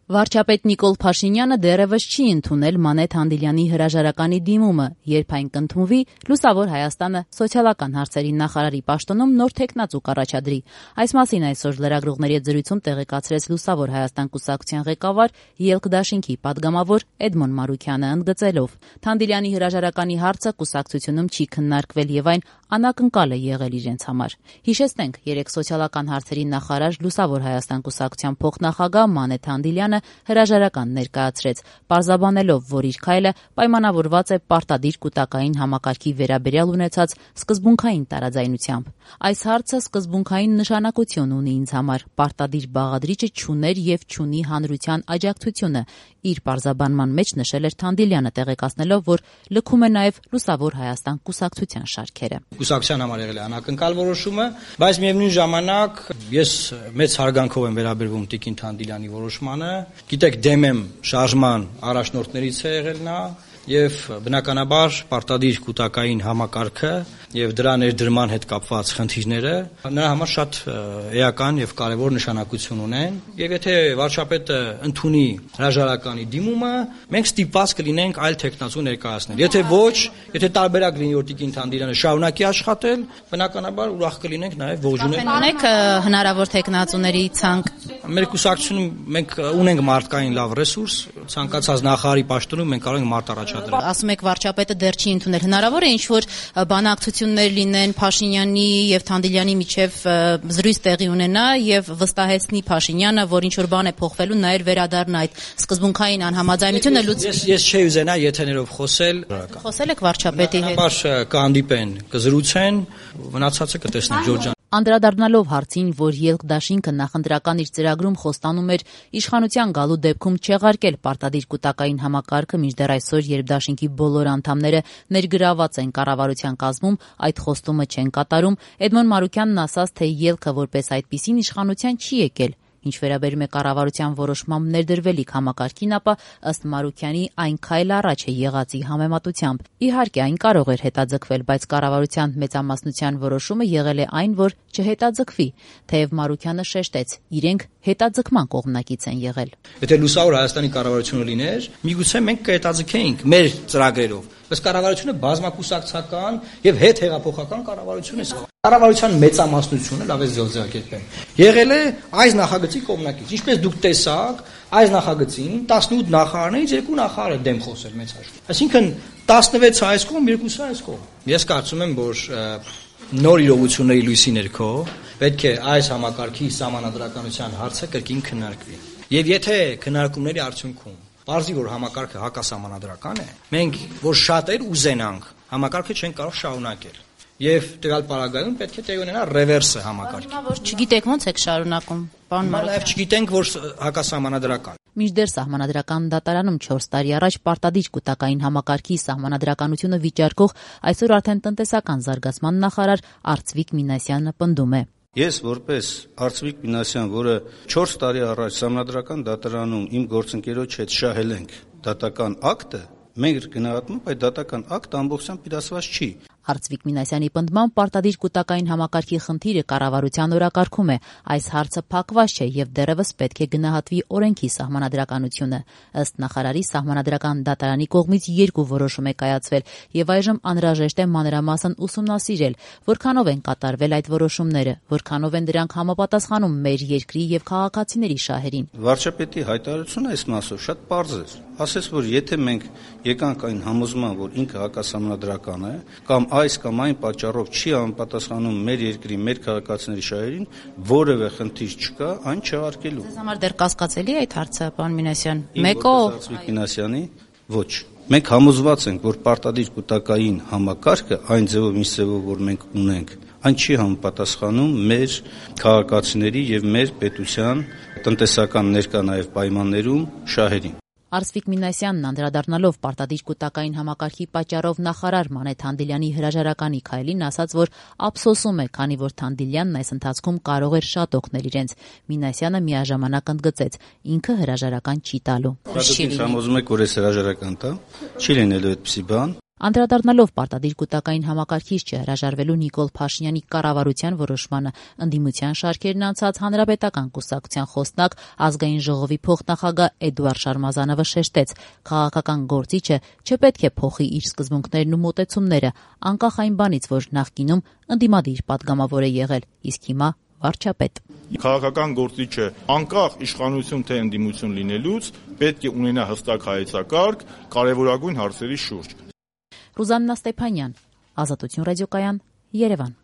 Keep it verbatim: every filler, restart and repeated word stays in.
Վարչապետ Նիկոլ Փաշինյանը դեռևս չի ընդունել Մանե Թանդիլյանի հրաժարականի դիմումը, երբ այն կընդունվի, Լուսավոր Հայաստանը սոցիալական հարցերի նախարարի պաշտոնում նոր թեկնածու կառաջադրի։ Այս մասին այսօր լրագրողների հետ զրույցում տեղեկացրեց Լուսավոր Հայաստան կուսակցության ղեկավար Ելք դաշինքի падգամավոր Էդմոն Մարուքյանը, ընդգծելով. Թանդիլյանի հրաժարականի հարցը կուսակցությունում չի քննարկվել եւ այն անակնկալ է եղել իրենց համար։ Հիշեցնենք, երեք սոցիալական հարցերի նախարար Լուսավոր Հայաստան կուսակցության փոխնախագահ Մանե Թանդիլյանը հրաժարական ներկայացրեց, պարզաբանելով, որ իր քայլը պայմանավորված է պարտադիր կուտակային համակարգի վերաբերյալ ունեցած սկզբունքային տարաձայնությամբ։ Այս հարցը սկզբունքային նշանակություն ունի ինձ համար, պարտադիր բաղադրիչը չուներ եւ չունի հանրության աջակցությունը, իր պարզաբանման մեջ նշել էր Թանդիլյանը, տեղեկացնելով, որ լքում է նաեւ Լուսավոր Հայաստան կուսակցության շարքերը։ Կուսակցության համար եղել է անակնկալ որոշումը, բայց միևնույն ժամանակ ես մեծ հարգանքով եմ վերաբերվում Տիկին Թանդիլյանի որոշմանը։ Գիտեք, դեմ եմ շարժման առաջնորդներից է եղել նա եւ բնականաբար պարտադիր կուտակային համակարգը եւ դրա ներդրման հետ կապված խնդիրները նրա համար շատ էական եւ կարեւոր նշանակություն ունեն եւ եթե վարչապետը ընդունի հրաժարականի դիմումը, մենք ստիպված կլինենք այլ տեխնացու ներկայացնել։ Եթե ոչ, եթե տարբերակ լինի որ Տիկին Թանդիլյանը շարունակի աշխատել, բնականաբար ուրախ կլինենք նաեւ ողջունել։ Ունեք հնարավոր տեխնացուների ցանկ։ Մեր կուսակցությունում մենք ունենք մարդկային լավ ռեսուրս, ցանկացած նախարարի պաշտոնում մենք կարող ենք մարդ առաջադրել։ Ասում եք վարչապետը դեռ չի ընդունել, հնարավոր է ինչ որ բանակցություններ լինեն Փաշինյանի եւ Թանդիլյանի միջև զրույց տեղի ունենա եւ վստահեցնի Փաշինյանը, որ ինչ որ բան է փոխվելու, նաեւ վերադառնա այդ սկզբունքային անհամաձայնությունը լուծի։ Ես ես չէի ուզենա եթերներով խոսել։ Խոսել եք վարչապետի հետ։ Բաց կհանդիպեն, կզրուցեն, մնացածը կտեսնենք Ջորջան։ Անդրադառնալով հարցին, որ Ելք դաշինքը նախընտրական իր ծրագրում խոստանում էր իշխանության գալու դեպքում չեղարկել պարտադիր կուտակային համակարգը, մինչդեռ այսօր, երբ դաշինքի բոլոր անդամները ներգրաված են կառավարության կազմում, այդ խոստումը չեն կատարում, Էդմոն Մարուքյանն ասաց, թե Ելքը որպես այդպիսին իշխանության չի եկել։ Ինչ վերաբերում է կառավարության որոշմամբ ներդրվելիք համակարգին, ապա ըստ Մարուքյանի այն քայլ առաջ է եղածի համեմատությամբ։ Իհարկե, այն կարող էր հետաձգվել, բայց կառավարության մեծամասնության որոշումը եղել է այն, որ չհետաձգվի, թեև Մարուքյանը շեշտեց, իրենք հետաձգման կողմնակից են եղել։ Եթե Լուսավոր Հայաստանի կառավարությունը լիներ, միգուցե մենք կհետաձգեինք մեր ծրագրերով, բայց կառավարությունը բազմակուսակցական եւ հետհեղափոխական կառավարություն է։ Կառավարության մեծամասնությունը, լավ է ձևակերպեմ, եղել է այս նախագծի կողմնակից։ Ինչպես դուք տեսաք, այս նախագծին տասնութ նախարարներից երկու նախարար է դեմ խոսել մեծ հաշվով։ Այսինքն տասնվեց այս կողմ, երկուսը այս կողմ։ Ես կարծում եմ, որ նոր իրողությունների լույսի ներքո պետք է այս համակարգի սահմանադրականության հարցը կրկին քննարկվի։ Եվ եթե քննարկումների արդյունքում պարզի որ համակարգը հակասահմանադրական է, մենք որ շատեր ուզենանք, համակարգը չեն կարող շարունակել։ Եվ տվյալ պարագայում պետք է տեղի ունենա ռևերսը համակարգի։ Հիմա որ չգիտեք ոնց եք շարունակում, պարոն Մարուքյան։ Նաև չգիտենք, որ հակասահմանադրական։ Մինչդեռ սահմանադրական դատարանում չորս տարի առաջ պարտադիր կուտակային համակարգի սահմանադրականությունը վիճարկող այսօր արդեն տնտեսական զարգացման նախարար Արծվիկ Մինասյանը պնդում է. Ես որպես Արծվիկ Մինասյան, որը չորս տարի առաջ սահմանադրական դատարանում իմ գործընկերոջ հետ շահել ենք դատական ակտը, մենք գնահատում ենք այդ դատական ակտը ամբողջությամբ իրացված չի։ Արծվիկ Մինասյանի պնդմամբ պարտադիր կուտակային համակարգի խնդիրը կառավարության օրակարգում է։ Այս հարցը փակված չէ եւ դեռևս պետք է գնահատվի օրենքի սահմանադրականությունը։ Ըստ նախարարի, սահմանադրական դատարանի կողմից երկու որոշում է կայացվել եւ այժմ անհրաժեշտ է մանրամասն ուսումնասիրել, որքանով են կատարվել այդ որոշումները, որքանով են դրանք համապատասխանում մեր երկրի եւ քաղաքացիների շահերին։ Վարչապետի հայտարարությունը այս մասով շատ պարզ է։ Ասես որ եթե մենք եկանք այն համոզման, որ ինքը հակասահմանադրական է, կամ այս կամ այն պատճառով չի համապատասխանում մեր երկրի, մեր քաղաքացիների շահերին, որևէ խնդիր չկա այն չեղարկելու։ Ձեզ համար դեռ կասկածելի է այդ հարցը, պարոն Մինասյան։ Մեկո Արծվիկ Մինասյանի ոչ։ Մենք համոզված ենք, որ պարտադիր կուտակային համակարգը այն ձևով, ինչ ձևով որ մենք ունենք, այն չի համապատասխանում մեր քաղաքացիների եւ մեր պետության տնտեսական ներկա նաեւ պայմաններում շահերին։ Արծվիկ Մինասյանն անդրադառնալով պարտադիր կուտակային համակարգի պատճառով նախարար Մանե Թանդիլյանի հրաժարականի քայլին ասաց, որ ափսոսում է, քանի որ Թանդիլյանն այս ընթացքում կարող էր շատ օգնել իրենց։ Մինասյանը միաժամանակ ընդգծեց, ինքը հրաժարական չի տալու։ Դուք համոզում եք, որ այս հրաժարական տա, չի լինելու այդպիսի բան։ Անդրադառնալով պարտադիր կուտակային համակարգիչ չհրաժարվելու Նիկոլ Փաշինյանի կառավարության որոշմանը, ընդդիմության շարքերն անցած Հանրապետական կուսակցության խոսնակ, ազգային ժողովի փոխնախագահ Էդուարդ Շարմազանովը շեշտեց, քաղաքական գործիչը չպետք է փոխի իր սկզբունքներն ու մոտեցումները, անկախ այն բանից, որ նախկինում ընդդիմադիր պատգամավոր է եղել, իսկ հիմա վարչապետ։ Քաղաքական գործիչը անկախ իշխանություն թե ընդդիմություն լինելուց պետք է ունենա հստակ հայեցակարգ կարևորագույն հարցերի շուրջ։ Ռուզաննա Ստեփանյան, Ազատություն ռադիոկայան, Երևան։